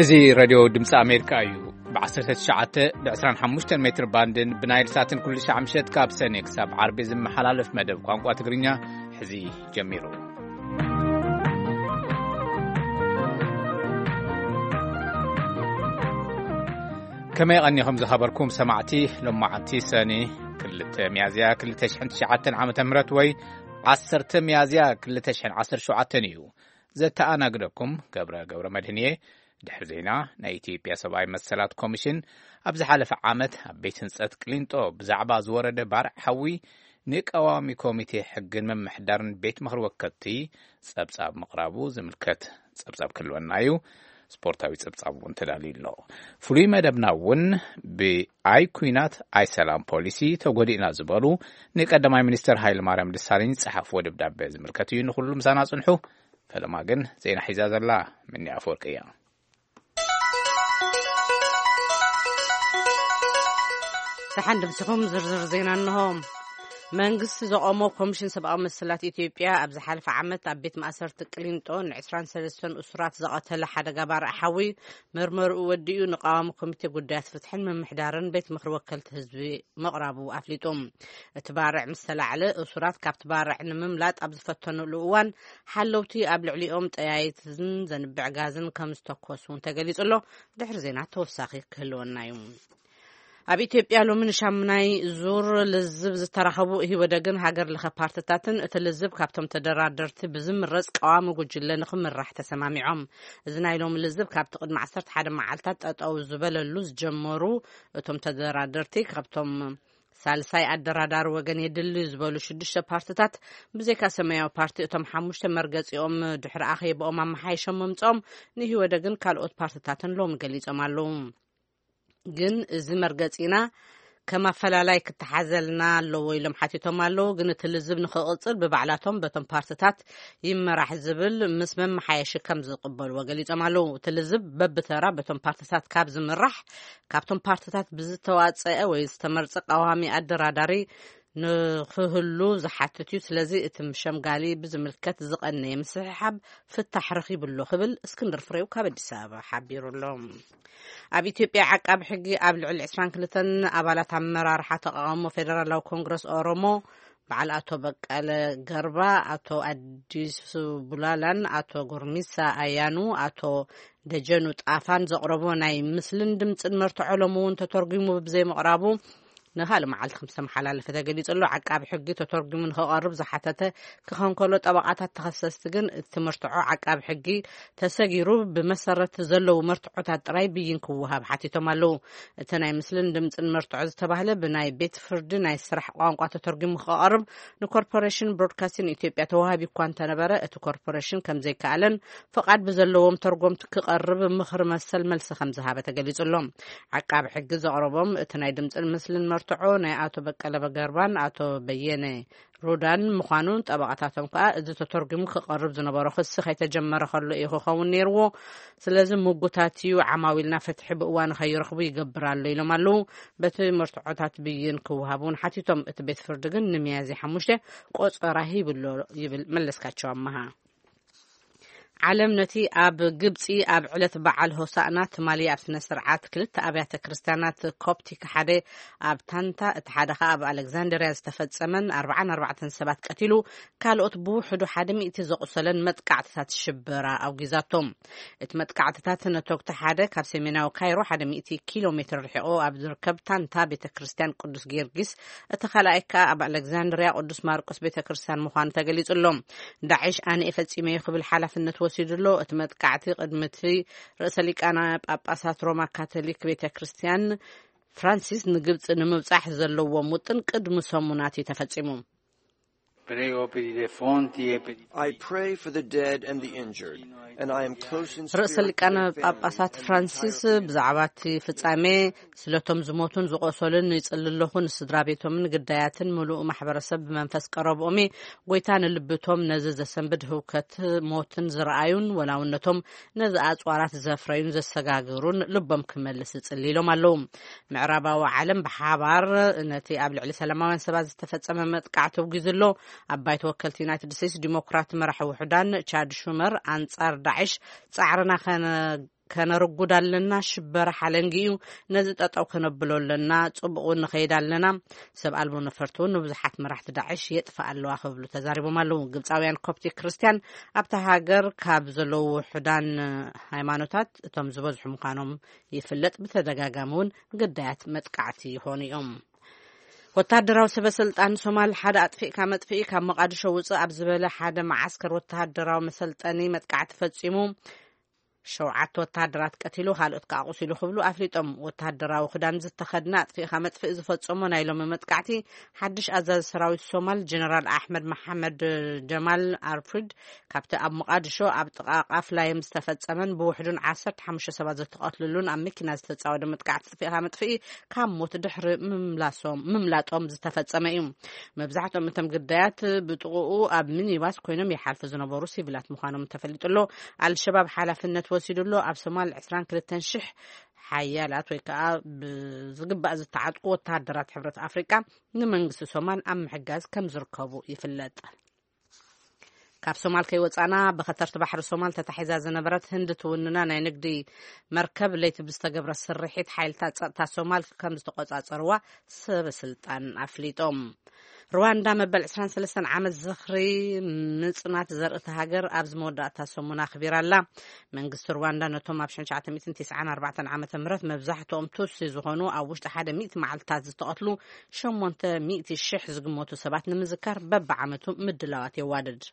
እዚ ሬድዮ ድምፂ ኣሜሪካ እዩ። ብ19፣ ብ25 ሜትር ባንድን ብናይል ሳትን ኩሉ ሻዕ ምሸት ካብ ሰኔ ክሳብ ዓርቢ ዝመሓላለፍ መደብ ቋንቋ ትግርኛ ሕዚ ጀሚሩ። ከመይ ቀኒኹም ዝኸበርኩም ሰማዕቲ? ሎማዓንቲ ሰኒ 2 ሚያዝያ 2009 ዓ.ም ወይ 10 ሚያዝያ 2017 እዩ። ዘተኣናግደኩም ገብረ ገብረ መድህን እየ። ድሕሪ ዜና፣ ናይ ኢትዮጵያ ሰብኣዊ መሰላት ኮሚሽን ኣብ ዝሓለፈ ዓመት ኣብ ቤት ህንጸት ቅሊንጦ ብዛዕባ ዝወረደ ባርዕ ሓዊ ንቀዋሚ ኮሚቴ ሕግን ምምሕዳርን ቤት ምኽሪ ወከልቲ ጸብጻብ ምቕራቡ ዝምልከት ጸብጻብ ክህልወና እዩ። ስፖርታዊ ጸብጻብ እውን ተዳልዩ ኣሎ። ፍሉይ መደብና እውን ብኣይ ኲናት ኣይ ሰላም ፖሊሲ ተጎዲእና ዝበሉ ንቀዳማይ ሚኒስትር ሃይለ ማርያም ደሳለኝ ዝጸሓፍዎ ደብዳቤ ዝምልከት እዩ። ንኹሉ ምሳና ጽንሑ። ፈለማ ግን ዜና ሒዛ ዘላ ምኒ ኣፈወርቂ እያ። ደሓን ድምስኹም ዝርዝር ዜና እንሆ። መንግስቲ ዘቆሞ ኮሚሽን ሰብኣዊ መሰላት ኢትዮጵያ ኣብ ዝሓለፈ ዓመት ኣብ ቤት ማእሰርቲ ቅሊንጦ ን23 እሱራት ዘቐተለ ሓደጋ ባርዕ ሓዊ መርመርኡ ወዲኡ ንቃዋሚ ኮሚቴ ጉዳያት ፍትሕን ምምሕዳርን ቤት ምኽሪ ወከልቲ ህዝቢ ምቕራቡ ኣፍሊጡ። እቲ ባርዕ ምስ ተላዕለ እሱራት ካብቲ ባርዕ ንምምላጥ ኣብ ዝፈተኑሉ እዋን ሓለውቲ ኣብ ልዕሊኦም ጠያይትን ዘንብዕ ጋዝን ከም ዝተኮሱ እውን ተገሊጹ ኣሎ። ድሕሪ ዜና ተወሳኺ ክህልወና እዩ። ኣብ ኢትዮጵያ ሎሚ ንሻሙናይ ዙር ልዝብ ዝተራኸቡ ኢህወደግን ሃገር ለኸ ፓርትታትን እቲ ልዝብ ካብቶም ተደራደርቲ ብዝምረጽ ቀዋሚ ጉጅለ ንኽምራሕ ተሰማሚዖም። እዚ ናይ ሎሚ ልዝብ ካብቲ ቅድሚ 11 መዓልታት ጠጠው ዝበለሉ ዝጀመሩ እቶም ተደራደርቲ ካብቶም ሳልሳይ ኣደራዳሪ ወገን የድልዩ ዝበሉ ሽዱሽተ ፓርትታት ብዘይካ ሰማያዊ ፓርቲ እቶም ሓሙሽተ መርገጺኦም ድሕሪ ኣኼባኦም ኣመሓይሾም ምምጽኦም ንኢህወደግን ካልኦት ፓርትታትን ሎሚ ገሊጾም ኣለዉ። ግን እዚ መርገጺና ከም ኣፈላላይ ክተሓዘልና ኣለዎ ኢሎም ሓቲቶም ኣለዉ። ግን እቲ ልዝብ ንኽቕጽል ብባዕላቶም በቶም ፓርትታት ይመራሕ ዝብል ምስ መመሓየሺ ከም ዝቕበልዎ ገሊጾም ኣለዉ። እቲ ልዝብ በብተራ በቶም ፓርትታት ካብ ዝምራሕ ካብቶም ፓርትታት ብዝተዋጸአ ወይ ዝተመርጸ ቀዋሚ ኣደራዳሪ ንኽህሉ ዝሓትት እዩ። ስለዚ እቲ ሸምጋሊ ብዝምልከት ዝቐነየ ምስሕሓብ ፍታሕ ረኺቡ ኣሎ ክብል እስክንድር ፍሬው ካብ ኣዲስ ኣበባ ሓቢሩ ኣሎ። ኣብ ኢትዮጵያ ዓቃቢ ሕጊ ኣብ ልዕሊ 22 ኣባላት ኣመራርሓ ተቃውሞ ፌደራላዊ ኮንግረስ ኦሮሞ በዓል ኣቶ በቀለ ገርባ፣ ኣቶ ኣዲሱ ቡላላን ኣቶ ጎርሚሳ ኣያኑ፣ ኣቶ ደጀኑ ጣፋን ዘቕረቦ ናይ ምስልን ድምፅን መርትዖ ሎሚ እውን ተተርጉሙ ብዘይምቕራቡ ንኻልእ መዓልቲ ከም ዝተመሓላለፈ ተገሊጹ ኣሎ። ዓቃቢ ሕጊ ተተርጉሙ ንኽቐርብ ዝሓተተ ክኸውን ከሎ፣ ጠበቓታት ተኸሰስቲ ግን እቲ መርትዖ ዓቃቢ ሕጊ ተሰጊሩ ብመሰረት ዘለዉ መርትዖታት ጥራይ ብይን ክወሃብ ሓቲቶም ኣለዉ። እቲ ናይ ምስልን ድምፅን መርትዖ ዝተባህለ ብናይ ቤት ፍርዲ ናይ ስራሕ ቋንቋ ተተርጉሙ ክቐርብ ንኮርፖሬሽን ብሮድካስቲንግ ኢትዮጵያ ተዋሂቡ እኳ እንተነበረ፣ እቲ ኮርፖሬሽን ከም ዘይከኣለን ፍቓድ ብዘለዎም ተርጎምቲ ክቐርብ ምኽሪ መሰል መልሲ ከም ዝሃበ ተገሊጹ ኣሎ። ዓቃቢ ሕጊ ዘቕረቦም እቲ ናይ ድምፅን ምስልን መርትዖ ናይ ኣቶ በቀለ ገርባን ኣቶ በየነ ሩዳን ምዃኑን፣ ጠበቓታቶም ከኣ እዚ ተተርጉሙ ክቐርብ ዝነበሮ ክሲ ከይተጀመረ ከሎ እዩ ክኸውን ነይርዎ። ስለዚ ምጉታት እዩ፣ ዓማዊልና ፍትሒ ብእዋኑ ከይረኽቡ ይገብር ኣሎ ኢሎም ኣለዉ። በቲ መርትዖታት ብይን ክወሃብ እውን ሓቲቶም። እቲ ቤት ፍርዲ ግን ንሚያዝያ 5 ቆጸራ ሂብሎ ይብል መለስካቸው ኣመሃ። ዓለም ነቲ ኣብ ግብጺ ኣብ ዕለት በዓል ሆሳእና ትማሊ ኣብ ስነ ስርዓት ክልተ ኣብያተ ክርስቲያናት ኮፕቲክ ሓደ ኣብ ታንታ፣ እቲ ሓደ ከኣ ኣብ ኣሌክዛንድርያ ዝተፈጸመን 44 ሰባት ቀቲሉ፣ ካልኦት ብውሕዱ 100 ዘቑሰለን መጥቃዕትታት ሽበራ ኣውጊዛቶም። እቲ መጥቃዕትታት ነቶግቲ ሓደ ካብ ሰሜናዊ ካይሮ 100 ኪሎ ሜትር ርሒቑ ኣብ ዝርከብ ታንታ ቤተ ክርስቲያን ቅዱስ ጊዮርጊስ፣ እቲ ካልኣይ ከኣ ኣብ ኣሌክዛንድርያ ቅዱስ ማርቆስ ቤተ ክርስቲያን ምዃኑ ተገሊጹ ኣሎ። ዳዕሽ ኣነ እየ ፈጺመዮ ክብል ሓላፍነት ወሲዱ ኣሎ። እቲ መጥቃዕቲ ቅድሚ እቲ ርእሰ ሊቃነ ጳጳሳት ሮማ ካቶሊክ ቤተ ክርስቲያን ፍራንሲስ ንግብጺ ንምብጻሕ ዘለዎም ውጥን ቅድሚ ሰሙናት እዩ ተፈጺሙ። Prego per i defunti e per i I pray for the dead and the injured, and I am close in ርእሰ spirit to ሊቃነ their ጳጳሳት families and ፍራንሲስ entire ብዛዕባ እቲ ፍጻሜ ስለቶም ዝሞቱን ዝቖሰሉን ይጽሊ ኣለኹ። ንስድራ ቤቶምን ግዳያትን ምሉእ ማሕበረሰብ ብመንፈስ ቀረብኦም እየ። ጎይታ ንልብቶም ነዚ ዘሰንብድ ህውከት ሞትን ዝረኣዩን ወላውነቶም ነዚ ኣጽዋራት ዘፍረዩን ዘሰጋግሩን ልቦም ክመልስ እጽሊ ኢሎም ኣለዉ። ምዕራባዊ ዓለም ብሓባር ነቲ ኣብ ልዕሊ ሰላማውያን ሰባት ዝተፈጸመ መጥቃዕቲ ኣውጊዙ ኣሎ። ኣብ ባይቶ ወከልቲ ዩናይትድ ስቴትስ ዲሞክራት መራሒ ውሑዳን ቻድ ሹመር ኣንጻር ዳዕሽ ጻዕርና ከነ ከነርጉድ ኣለና፣ ሽበራ ሓለንጊ እዩ፣ ነዚ ጠጠው ከነብሎ ኣለና፣ ጽቡቕ እውን ንኸይድ ኣለና፣ ሰብ ኣልቦ ነፈርቲ እውን ንብዙሓት መራሕቲ ዳዕሽ የጥፍእ ኣለዋ ክብሉ ተዛሪቦም ኣለዉ። ግብፃውያን ኮፕቲክ ክርስቲያን ኣብታ ሃገር ካብ ዘለዉ ውሑዳን ሃይማኖታት እቶም ዝበዝሑ ምዃኖም ይፍለጥ። ብተደጋጋሚ እውን ግዳያት መጥቃዕቲ ይኾኑ እዮም። ወታደራዊ ሰበ ስልጣን ሶማል ሓደ ኣጥፊእካ መጥፍኢ ካብ መቃድሾ ውፅእ ኣብ ዝበለ ሓደ መዓስከር ወታደራዊ መሰልጠኒ መጥቃዕቲ ፈፂሙ ሸውዓተ ወታደራት ቀቲሉ ካልኦት ከዓ ኣቑሲሉ ክብሉ ኣፍሊጦም። ወታደራዊ ክዳን ዝተኸድነ ኣጥፊእካ መጥፍኢ ዝፈፀሞ ናይ ሎሚ መጥቃዕቲ ሓድሽ ኣዛዚ ሰራዊት ሶማል ጀነራል ኣሕመድ መሓመድ ጀማል ኣርፍሪድ ካብቲ ኣብ መቃድሾ ኣብ ጥቓ ቃፍላይም ዝተፈፀመን ብውሕዱን ዓሰርተ ሓሙሽተ ሰባት ዝተቐትልሉን ኣብ መኪና ዝተፃወደ መጥቃዕቲ ኣጥፊእካ መጥፍኢ ካብ ሞት ድሕሪ ምምላሶም ምምላጦም ዝተፈጸመ እዩ። መብዛሕትኦም እቶም ግዳያት ብጥቕኡ ኣብ ሚኒባስ ኮይኖም ይሓልፉ ዝነበሩ ሲቪላት ምዃኖም ተፈሊጡ ኣሎ። ኣልሸባብ ሓላፍነት ወሲዱ ኣሎ። ኣብ ሶማል ዕስራን ክልተን ሽሕ ሓያላት ወይ ከዓ ብዝግባእ ዝተዓጥቁ ወተሃደራት ሕብረት ኣፍሪቃ ንመንግስቲ ሶማል ኣብ ምሕጋዝ ከም ዝርከቡ ይፍለጥ። ካብ ሶማል ከይወፃና ብኸተርቲ ባሕሪ ሶማል ተታሒዛ ዝነበረት ህንዲ ትውንና ናይ ንግዲ መርከብ ለይቲ ብዝተገብረ ስርሒት ሓይልታት ጸጥታ ሶማል ከም ዝተቆጻጸርዋ ሰበ ስልጣን ኣፍሊጦም። ሩዋንዳ መበል ዕስራን ሰለስተን ዓመት ዝኽሪ ምጽናት ዘርእቲ ሃገር ኣብዚ መወዳእታ ሰሙን ኣኽቢራ ኣላ። መንግስቲ ሩዋንዳ ነቶም ኣብ ሽሕን ትሽዓተ ሚእትን ትስዓን ኣርባዕተን ዓመተ ምህረት መብዛሕትኦም ቱትሲ ዝኾኑ ኣብ ውሽጢ ሓደ ሚእቲ መዓልትታት ዝተቐትሉ ሸሞንተ ሚእቲ ሽሕ ዝግመቱ ሰባት ንምዝካር በብዓመቱ ምድላዋት የዋድድ።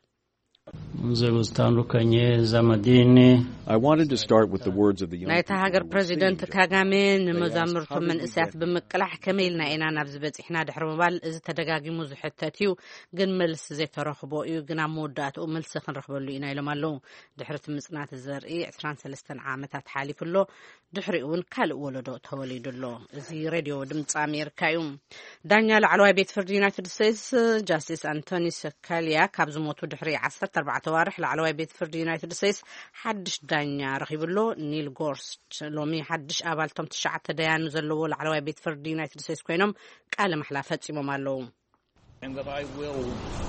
Mzee Stanley Kanye Zamadini. I wanted to start with the words of the young ናይታ people ሃገር who were ፕሬዚደንት sitting there. ካጋሜ They asked, ንመዛምርቱ "How did we መንእሰያት get here?" ብምቅላሕ ከመይ ኢልና ኢና ናብዚ በፂሕና ድሕሪ ምባል እዚ ተደጋጊሙ ዝሕተት እዩ፣ ግን መልሲ ዘይተረኽቦ እዩ፣ ግን ኣብ መወዳእትኡ መልሲ ክንረኽበሉ ኢና ኢሎም ኣለዉ። ድሕሪ እቲ ምፅናት ዘርኢ ዕስራን ሰለስተን ዓመታት ሓሊፉ ኣሎ። ድሕሪኡ እውን ካልእ ወለዶ ተወሊዱ ኣሎ። እዚ ሬድዮ ድምፂ ኣሜሪካ እዩ። ዳኛ ላዕለዋይ ቤት ፍርዲ ዩናይትድ ስቴትስ ጃስቲስ ኣንቶኒ ሰካሊያ ካብ ዝሞቱ ድሕሪ ዓሰርተ ኣርባዕተ ዋርሕ ላዕለዋይ ቤት ፍርዲ ዩናይትድ ስቴትስ ሓድሽ ዳኛ ረኺቡ ኣሎ። ኒል ጎርስች ሎሚ ሓድሽ ኣባል እቶም ትሽዓተ ደያኑ ዘለዎ ላዕለዋይ ቤት ፍርዲ ዩናይትድ ስቴትስ ኮይኖም ቃለ ማሕላ ፈጺሞም ኣለዉ። And that I will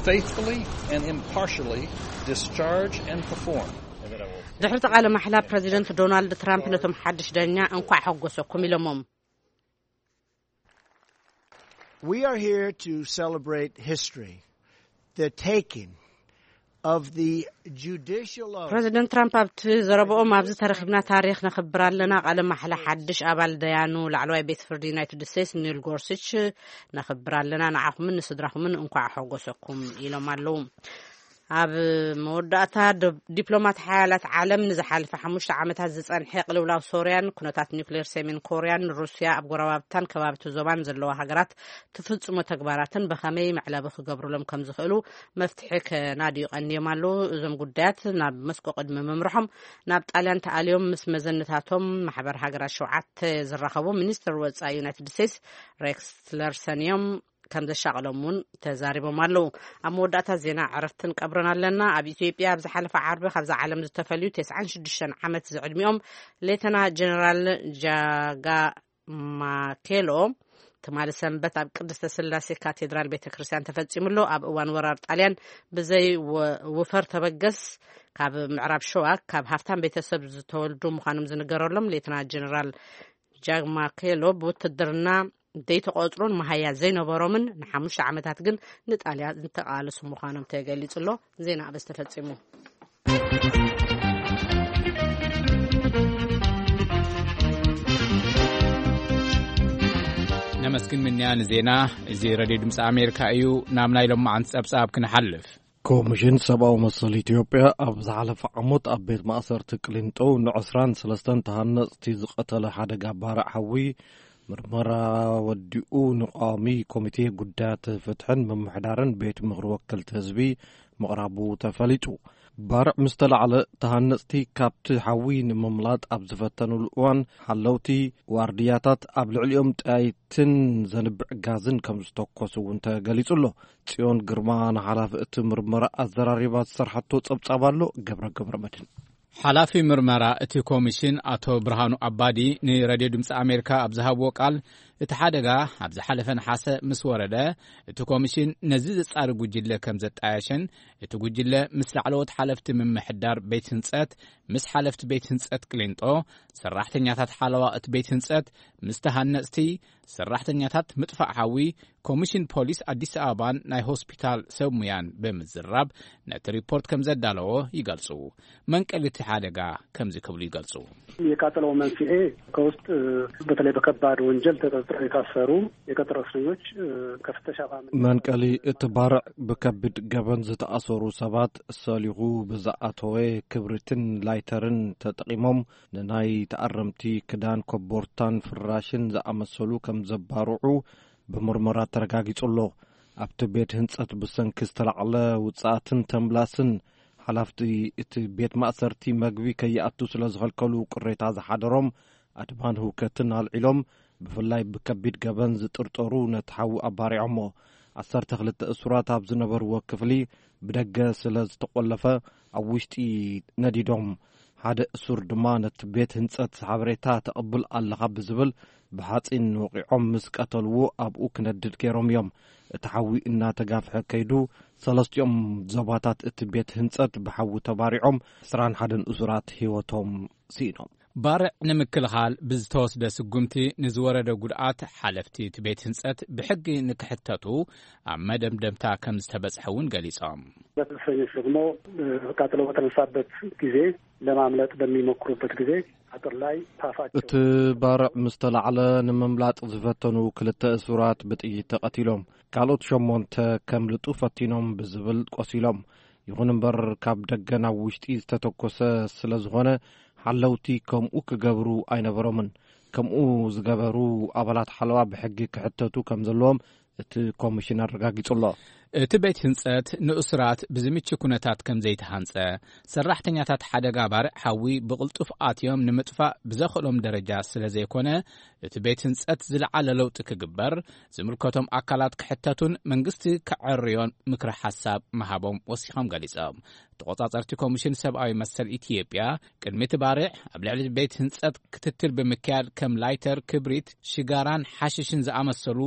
faithfully and impartially discharge and perform. ድሕሪ እቲ ቃለ ማሕላ ፕሬዚደንት ዶናልድ ትራምፕ ነቶም ሓድሽ ዳኛ እንኳዕ ሓጎሰኩም ኢሎሞም። We are here to celebrate history, the taking of the judicial office. ፕሬዚደንት ትራምፕ ኣብቲ ዘረብኦም ኣብዚ ተረኺብና ታሪኽ ነኽብር ኣለና። ቃለ ማሕላ ሓድሽ ኣባል ደያኑ ላዕለዋይ ቤት ፍርዲ ዩናይትድ ስቴትስ ኒል ጎርስች ነኽብር ኣለና። ንዓኹምን ንስድራኹምን እንኳዕ ሓጎሰኩም ኢሎም ኣለዉ። ኣብ መወዳእታ ዶ- ዲፕሎማት ሓያላት ዓለም ንዝሓለፈ ሓሙሽተ ዓመታት ዝጸንሐ ቅልውላው ሶርያን ኩነታት ኒውክሌር ሰሜን ኮርያን ሩስያ ኣብ ጎረባብታን ከባብቲ ዞባን ዘለዋ ሃገራት ትፍጽሞ ተግባራትን ብኸመይ መዕለቢ ክገብሩሎም ከም ዝኽእሉ መፍትሒ ከናድዩ ቀንዮም ኣለዉ። እዞም ጉዳያት ናብ መስኮ ቅድሚ ምምርሖም ናብ ጣልያን ተኣልዮም ምስ መዘንታቶም ማሕበር ሃገራት ሸውዓተ ዝራኸቡ ሚኒስትር ወጻኢ ዩናይትድ ስቴትስ ሬክስ ቲለርሰን እዮም ከም ዘሻቕሎም እውን ተዛሪቦም ኣለዉ። ኣብ መወዳእታ ዜና ዕረፍትን ቀብርን ኣለና። ኣብ ኢትዮጵያ ኣብ ዝሓለፈ ዓርቢ ካብዛ ዓለም ዝተፈልዩ ተስዓን ሽዱሽተን ዓመት ዝዕድሚኦም ሌተና ጀነራል ጃጋ ማኬሎ ትማሊ ሰንበት ኣብ ቅድስተ ስላሴ ካቴድራል ቤተ ክርስቲያን ተፈጺሙ ኣሎ። ኣብ እዋን ወራር ጣልያን ብዘይ ወ- ውፈር ተበገስ ካብ ምዕራብ ሸዋ ካብ ሃፍታም ቤተሰብ ዝተወልዱ ምዃኖም ዝንገረሎም ሌተና ጀነራል ጃግማኬሎ ብውትድርና ዘይተቆጽሩን መሃያ ዘይነበሮምን ንሓሙሽተ ዓመታት ግን ንጣልያን ዝተቃለሱ ምዃኖም ተገሊጹ ኣሎ። ዜና ኣበስ ተፈጺሙ። ነመስግን ምንያ ንዜና። እዚ ሬድዮ ድምፂ ኣሜሪካ እዩ። ናብ ናይ ሎማዓንቲ ጸብጻብ ክንሓልፍ። ኮሚሽን ሰብኣዊ መሰል ኢትዮጵያ ኣብ ዝሓለፈ ዓሞት ኣብ ቤት ማእሰርቲ ቅሊንጦ ንዕስራን ሰለስተን ተሃነፅቲ ዝቐተለ ሓደጋ ባርዕ ሓዊ ምርመራ ወዲኡ ንቋሚ ኮሚቴ ጉዳያት ፍትሕን ምምሕዳርን ቤት ምኽሪ ወከልቲ ህዝቢ ምቕራቡ ተፈሊጡ። ባርዕ ምስ ተላዕለ ተሃነፅቲ ካብቲ ሓዊ ንምምላጥ ኣብ ዝፈተኑሉ እዋን ሓለውቲ ዋርድያታት ኣብ ልዕሊኦም ጠያይትን ዘንብዕ ጋዝን ከም ዝተኮሱ እውን ተገሊጹ ኣሎ። ጽዮን ግርማ ንሓላፊ እቲ ምርመራ ኣዘራሪባ ዝሰርሓቶ ጸብጻብ ኣሎ። ገብረ ገብረ መድህን። ሓላፊ ምርመራ እቲ ኮሚሽን ኣቶ ብርሃኑ ኣባዲ ንሬድዮ ድምፂ ኣሜሪካ ኣብ ዝሃብዎ ቃል እቲ ሓደጋ ኣብ ዝሓለፈ ነሓሰ ምስ ወረደ፣ እቲ ኮሚሽን ነዚ ዘጻሪ ጉጅለ ከም ዘጣየሸን፣ እቲ ጉጅለ ምስ ላዕለዎት ሓለፍቲ ምምሕዳር ቤት ህንጸት፣ ምስ ሓለፍቲ ቤት ህንጸት ቅሊንጦ፣ ሰራሕተኛታት ሓለዋ እቲ ቤት ህንጸት፣ ምስ ተሃነጽቲ፣ ሰራሕተኛታት ምጥፋእ ሓዊ፣ ኮሚሽን ፖሊስ ኣዲስ ኣበባን ናይ ሆስፒታል ሰብ ሙያን ብምዝራብ ነቲ ሪፖርት ከም ዘዳለዎ ይገልጹ። መንቀሊ እቲ ሓደጋ ከምዚ ክብሉ ይገልጹ። የቃጠለው መንስኤ ከውስጥ በተለይ በከባድ ወንጀል ተጠርጥረው የታሰሩ የቀጠሮ እስረኞች ከፍተሻ መንቀሊ እቲ ባርዕ ብከቢድ ገበን ዝተኣሰሩ ሰባት ሰሊኹ ብዝኣተወ ክብሪትን ላይተርን ተጠቒሞም ንናይ ተኣረምቲ ክዳን ኮቦርታን ፍራሽን ዝኣመሰሉ ከም ዘባርዑ ብምርመራ ተረጋጊጹ ኣሎ። ኣብቲ ቤት ህንጸት ብሰንኪ ዝተላዕለ ውጽኣትን ተምላስን ሓላፍቲ እቲ ቤት ማእሰርቲ መግቢ ከይኣቱ ስለ ዝኸልከሉ ቅሬታ ዝሓደሮም ኣድማን ህውከትን ኣልዒሎም፣ ብፍላይ ብከቢድ ገበን ዝጥርጠሩ ነቲ ሓዊ ኣባሪዖሞ። ዓሰርተ ክልተ እሱራት ኣብ ዝነበርዎ ክፍሊ ብደገ ስለ ዝተቖለፈ ኣብ ውሽጢ ነዲዶም። ሓደ እሱር ድማ ነቲ ቤት ህንጸት ሓበሬታ ተቐብል ኣለኻ ብዝብል ብሓጺን ወቒዖም ምስ ቀተልዎ ኣብኡ ክነድድ ገይሮም እዮም። እቲ ሓዊ እናተጋፍሐ ከይዱ ሰለስቲኦም ዞባታት እቲ ቤት ህንጸት ብሓዊ ተባሪዖም ዕስራን ሓደን እሱራት ህይወቶም ስኢኖም። ባርዕ ንምክልኻል ብዝተወስደ ስጉምቲ ንዝወረደ ጉድኣት ሓለፍቲ እቲ ቤት ህንጸት ብሕጊ ንክሕተቱ ኣብ መደምደምታ ከም ዝተበጽሐ እውን ገሊጾም። በተሰኞች ደግሞ ቃጠሎ በተነሳበት ጊዜ ለማምለጥ በሚሞክሩበት ጊዜ አጥር ላይ ታፋቸው እቲ ባርዕ ምስ ተላዕለ ንምምላጥ ዝፈተኑ ክልተ እሱራት ብጥይት ተቐቲሎም። ካልኦት ሸሞንተ ከምልጡ ፈቲኖም ብዝብል ቆሲሎም። ይኹን እምበር ካብ ደገ ናብ ውሽጢ ዝተተኮሰ ስለ ዝኾነ ሓለውቲ ከምኡ ክገብሩ ኣይነበሮምን። ከምኡ ዝገበሩ ኣባላት ሓለዋ ብሕጊ ክሕተቱ ከም ዘለዎም እቲ ኮሚሽን ኣረጋጊጹ ኣሎ። እቲ ቤት ህንጸት ንእሱራት ብዝምቹ ኩነታት ከም ዘይተሃንጸ፣ ሰራሕተኛታት ሓደጋ ባርዕ ሓዊ ብቕልጡፍ ኣትዮም ንምጥፋእ ብዘኽእሎም ደረጃ ስለ ዘይኮነ፣ እቲ ቤት ህንጸት ዝለዓለ ለውጢ ክግበር፣ ዝምልከቶም ኣካላት ክሕተቱን መንግስቲ ከዐርዮን ምክረ ሓሳብ ምሃቦም ወሲኾም ገሊጾም። ተቖጻጸርቲ ኮሚሽን ሰብኣዊ መሰል ኢትዮጵያ፣ ቅድሚ እቲ ባርዕ ኣብ ልዕሊ ቤት ህንጸት ክትትል ብምክያድ ከም ላይተር፣ ክብሪት፣ ሽጋራን ሓሽሽን ዝኣመሰሉ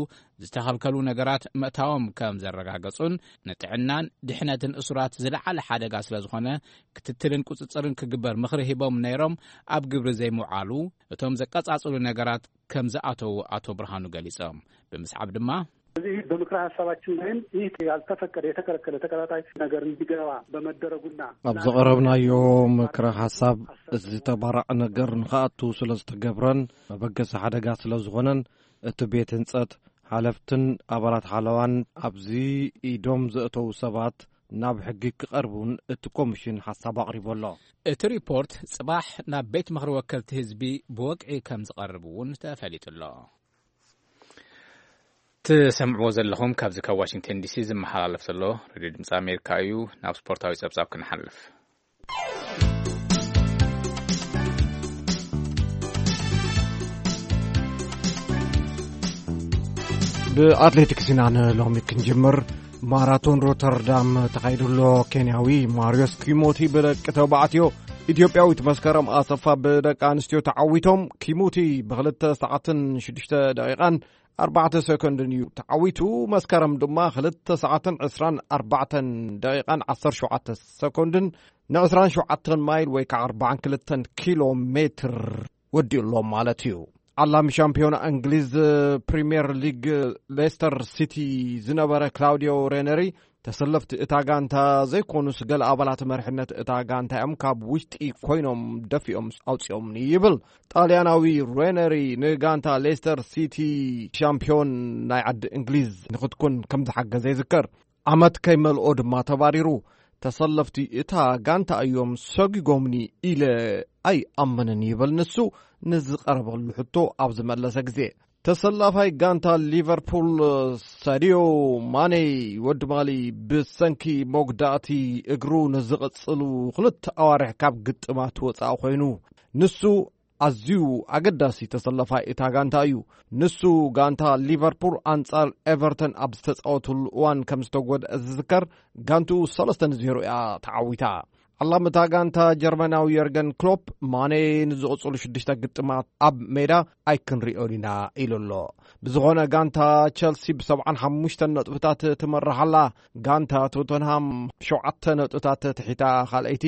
ዝተኸልከሉ ነገራት ምእታዎም ከም ዘረጋገጹን፣ ንጥዕናን ድሕነትን እሱራት ዝለዓለ ሓደጋ ስለ ዝኾነ ክትትልን ቁጽጽርን ክግበር ምኽሪ ሂቦም ነይሮም፣ ኣብ ግብሪ ዘይምውዓሉ፣ እቶም ዘቀጻጽሉ ነገራት ከም ዝኣተዉ ኣቶ ብርሃኑ ገሊጾም። ብምስዓብ ድማ እዚ በምክረ ሐሳባችን ላይም ይህ ያልተፈቀደ የተከለከለ ተቀጣጣይ ነገር እንዲገባ በመደረጉና ኣብ ዘቐረብናዮ ምክረ ሓሳብ እዚ ተባራዕ ነገር ንኽኣቱ ስለ ዝተገብረን መበገሲ ሓደጋ ስለ ዝኾነን እቲ ቤት ህንጸት ሓለፍትን ኣባላት ሓለዋን ኣብዚ ኢዶም ዘእተዉ ሰባት ናብ ሕጊ ክቐርቡን እቲ ኮሚሽን ሓሳብ ኣቕሪቡ ኣሎ። እቲ ሪፖርት ጽባሕ ናብ ቤት ምኽሪ ወከልቲ ህዝቢ ብወግዒ ከም ዝቐርብ እውን ተፈሊጡ ኣሎ። ትሰምዕዎ ዘለኹም ካብዚ ካብ ዋሽንግተን ዲሲ ዝመሓላለፍ ዘሎ ሬድዮ ድምፂ ኣሜሪካ እዩ። ናብ ስፖርታዊ ጸብጻብ ክንሓልፍ። ብኣትሌቲክስ ኢና ንሎሚ ክንጅምር። ማራቶን ሮተርዳም ተኻይዱ ኣሎ። ኬንያዊ ማርዮስ ኪሞቲ ብደቂ ተባዕትዮ፣ ኢትዮጵያዊት መስከረም ኣሰፋ ብደቂ ኣንስትዮ ተዓዊቶም። ኪሞቲ ብክልተ ሰዓትን ሽዱሽተ ደቂቓን ኣርባዕተ ሰኮንድን እዩ ተዓዊቱ። መስከረም ድማ ክልተ ሰዓትን ዕስራን ኣርባዕተን ደቂቓን ዓሰርተ ሸውዓተ ሰኮንድን ንዕስራን ሸውዓተን ማይል ወይ ከዓ ኣርባዓን ክልተን ኪሎ ሜትር ወዲኡ ኣሎ ማለት እዩ። ዓላሚ ሻምፒዮና እንግሊዝ ፕሪምየር ሊግ ሌስተር ሲቲ ዝነበረ ክላውዲዮ ሬነሪ፣ ተሰለፍቲ እታ ጋንታ ዘይኮኑስ ገለ ኣባላት መሪሕነት እታ ጋንታ እዮም ካብ ውሽጢ ኮይኖም ደፊኦም ኣውፂኦምኒ ይብል። ጣልያናዊ ሬነሪ ንጋንታ ሌስተር ሲቲ ሻምፒዮን ናይ ዓዲ እንግሊዝ ንክትኩን ከም ዝሓገዘ ይዝከር። ዓመት ከይመልኦ ድማ ተባሪሩ። ተሰለፍቲ እታ ጋንታ እዮም ሰጒጎምኒ ኢለ ኣይኣምንን ይብል ንሱ ንዝቐረበሉ ሕቶ ኣብ ዝመለሰ ግዜ። ተሰላፋይ ጋንታ ሊቨርፑል ሳዲዮ ማኔ ወዲ ማሊ ብሰንኪ መጉዳእቲ እግሩ ንዝቕጽሉ ክልተ ኣዋርሕ ካብ ግጥማት ወጻኢ ኮይኑ። ንሱ ኣዝዩ ኣገዳሲ ተሰላፋይ እታ ጋንታ እዩ። ንሱ ጋንታ ሊቨርፑል ኣንጻር ኤቨርተን ኣብ ዝተጻወተሉ እዋን ከም ዝተጎድአ ዝዝከር፣ ጋንትኡ ሰለስተ ንዜሮ እያ ተዓዊታ። ዓላምታ ጋንታ ጀርመናዊ የርገን ክሎፕ፣ ማኔ ንዝቕጽሉ ሽዱሽተ ግጥማት ኣብ ሜዳ ኣይክንሪኦን ኢና ኢሉ ኣሎ። ብዝኾነ፣ ጋንታ ቸልሲ ብሰብዓን ሓሙሽተን ነጥብታት ትመርሕ ኣላ። ጋንታ ቶተንሃም ሸውዓተ ነጥብታት ትሒታ ካልኣይቲ፣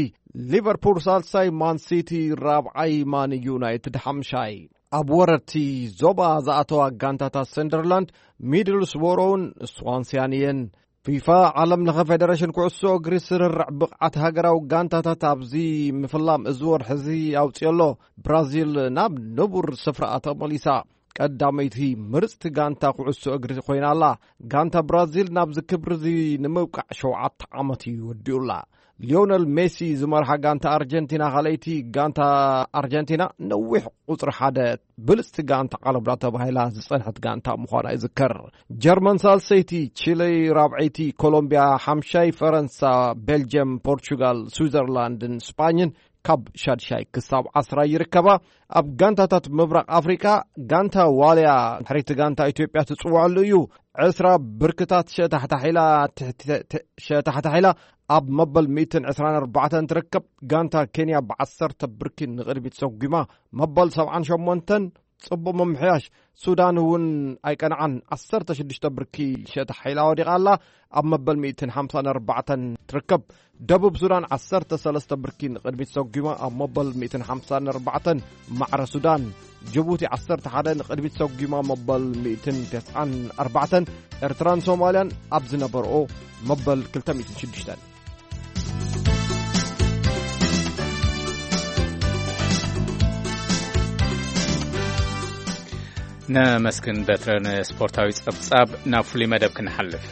ሊቨርፑል ሳልሳይ፣ ማን ሲቲ ራብዓይ፣ ማን ዩናይትድ ሓምሻይ። ኣብ ወረድቲ ዞባ ዝኣተዋ ጋንታታት ሰንደርላንድ፣ ሚድልስቦሮውን ስዋንስያን እየን። ፊፋ፣ ዓለም ለኸ ፌደሬሽን ኩዕሶ እግሪ፣ ስርርዕ ብቕዓት ሃገራዊ ጋንታታት ኣብዚ ምፍላም እዚ ወርሒ እዚ ኣውፅኦ ኣሎ። ብራዚል ናብ ንቡር ስፍራኣ ተመሊሳ ቀዳመይቲ ምርፅቲ ጋንታ ኩዕሶ እግሪ ኮይና ኣላ። ጋንታ ብራዚል ናብዚ ክብሪ እዚ ንምብቃዕ ሸውዓተ ዓመት እዩ ወዲኡላ። ሊዮነል ሜሲ ዝመርሓ ጋንታ ኣርጀንቲና ካልኣይቲ። ጋንታ ኣርጀንቲና ነዊሕ ቁፅሪ ሓደ ብልፅቲ ጋንታ ዓለምና ተባሂላ ዝፀንሐት ጋንታ ምዃና ይዝከር። ጀርመን ሳልሰይቲ፣ ቺለ ራብዐይቲ፣ ኮሎምቢያ ሓምሻይ፣ ፈረንሳ፣ ቤልጅየም፣ ፖርቹጋል፣ ስዊዘርላንድን ስጳኝን ካብ ሻድሻይ ክሳብ ዓስራ ይርከባ። ኣብ ጋንታታት ምብራቕ ኣፍሪቃ፣ ጋንታ ዋልያ ድሕሪቲ ጋንታ ኢትዮጵያ ትፅወዐሉ እዩ። ዕስራ ብርክታት ሸታሕታሕ ኢላ ትሕቲ-፣ ሸታሕታሕ ኢላ ኣብ መበል ሚእትን ዕስራን ኣርባዕተን ትርከብ። ጋንታ ኬንያ ብዓሰርተ ብርኪ ንቕድሚት ሰጒማ መበል ሰብዓን ሸሞንተን። ጽቡቕ ምምሕያሽ። ሱዳን እውን ኣይቀንዓን፣ ዓሰርተ ሽዱሽተ ብርኪ ሸታሕ ኢላ ወዲቓ ኣላ። ኣብ መበል ሚእትን ሓምሳን ኣርባዕተን ትርከብ። ደቡብ ሱዳን ዓሰርተ ሰለስተ ብርኪ ንቕድሚት ሰጒማ ኣብ መበል ሚእትን ሓምሳን ኣርባዕተን ማዕረ ሱዳን። ጅቡቲ ዓሰርተ ሓደ ንቕድሚት ሰጒማ መበል ሚእትን ተስዓን ኣርባዕተን። ኤርትራን ሶማልያን ኣብ ዝነበርኦ መበል ክልተ ሚእትን ሽዱሽተን። ነመስግን በትረ። ንስፖርታዊ ጸብጻብ ናብ ፍሉይ መደብ ክንሓልፍ።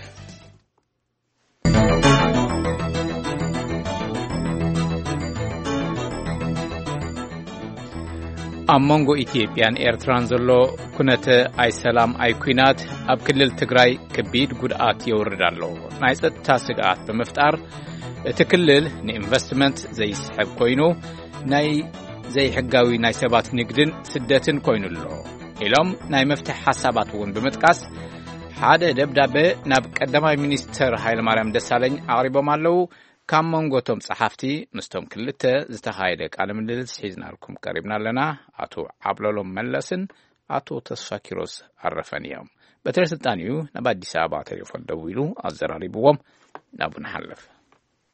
ኣብ መንጎ ኢትዮጵያን ኤርትራን ዘሎ ኩነተ ኣይሰላም ኣይኩናት ኣብ ክልል ትግራይ ከቢድ ጉድኣት የውርድ ኣሎ። ናይ ጸጥታ ስግኣት ብምፍጣር እቲ ክልል ንኢንቨስትመንት ዘይስሕብ ኮይኑ ናይ ዘይሕጋዊ ናይ ሰባት ንግድን ስደትን ኮይኑ ኣሎ ኢሎም ናይ መፍትሒ ሓሳባት እውን ብምጥቃስ ሓደ ደብዳበ ናብ ቀዳማይ ሚኒስትር ሃይለማርያም ደሳለኝ ኣቕሪቦም ኣለዉ። ካብ መንጎ እቶም ጸሓፍቲ ምስቶም ክልተ ዝተኻየደ ቃለ ምልልስ ሒዝናልኩም ቀሪብና ኣለና። ኣቶ ዓብለሎም መለስን ኣቶ ተስፋ ኪሮስ ኣረፈን እዮም። በትረ ስልጣን እዩ ናብ ኣዲስ ኣበባ ቴሌፎን ደዊሉ ኣዘራሪብዎም። ናብኡ ንሓልፍ።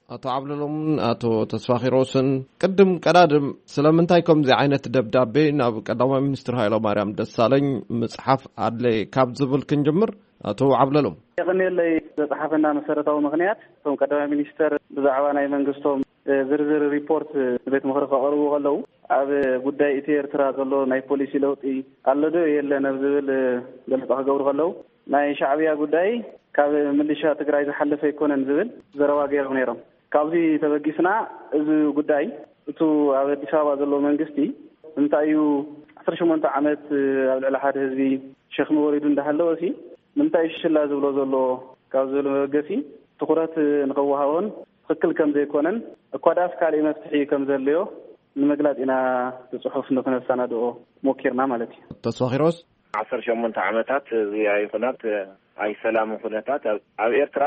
ኣቶ ዓብለሎምን ኣቶ ተስፋ ኪሮስን፣ ቅድም ቀዳድም ስለምንታይ ከምዚ ዓይነት ደብዳቤ ናብ ቀዳማይ ሚኒስትር ሃይለማርያም ደሳለኝ ምጽሓፍ ኣድለየ ካብ ዝብል ክንጅምር። ኣቶ ዓብለሎም። የቐንየለይ። ዘጽሓፈና መሰረታዊ ምኽንያት፣ እቶም ቀዳማይ ሚኒስተር ብዛዕባ ናይ መንግስቶም፣ እ፣ ዝርዝር ሪፖርት፣ እ፣ ንቤት ምኽሪ ከቕርቡ ከለዉ፣ ኣብ ጉዳይ ኢትዮ ኤርትራ ዘሎ ናይ ፖሊሲ ለውጢ ኣሎ ዶ የለን ኣብ ዝብል፣ እ፣ ገለጻ ክገብሩ ከለዉ፣ ናይ ሻዕብያ ጉዳይ ካብ ምልሻ ትግራይ ዝሓለፈ ኣይኮነን ዝብል ዘረባ ገይሮም ነይሮም። ካብዚ ተበጊስና፣ እዚ ጉዳይ፣ እቱ ኣብ ኣዲስ ኣበባ ዘሎ መንግስቲ፣ እንታይ እዩ ዓሰርተ ሸሞንተ ዓመት ኣብ ልዕሊ ሓደ ህዝቢ ሸኽሚ ወሪዱ እንዳሃለወ ሲ፣ ንምንታይ እዩ ሽላ ዝብሎ ዘሎ? ካብ ዝብል መበገሲ ትኹረት ንኸወሃቦን ትኽክል ከም ዘይኮነን፣ እኳ ደኣስ ካልእ መፍትሒ ከም ዘድልዮ ንምግላጽ ኢና፣ እቲ ጽሑፍ ንኽነሰናድኦ ሞኪርና ማለት እዩ። ተስፋ ኪሮስ። ዓሰርተ ሸሞንተ ዓመታት እዚ ኣይኹናት፣ ኣይሰላም ኩነታት ኣብ፣ ኣብ ኤርትራ፣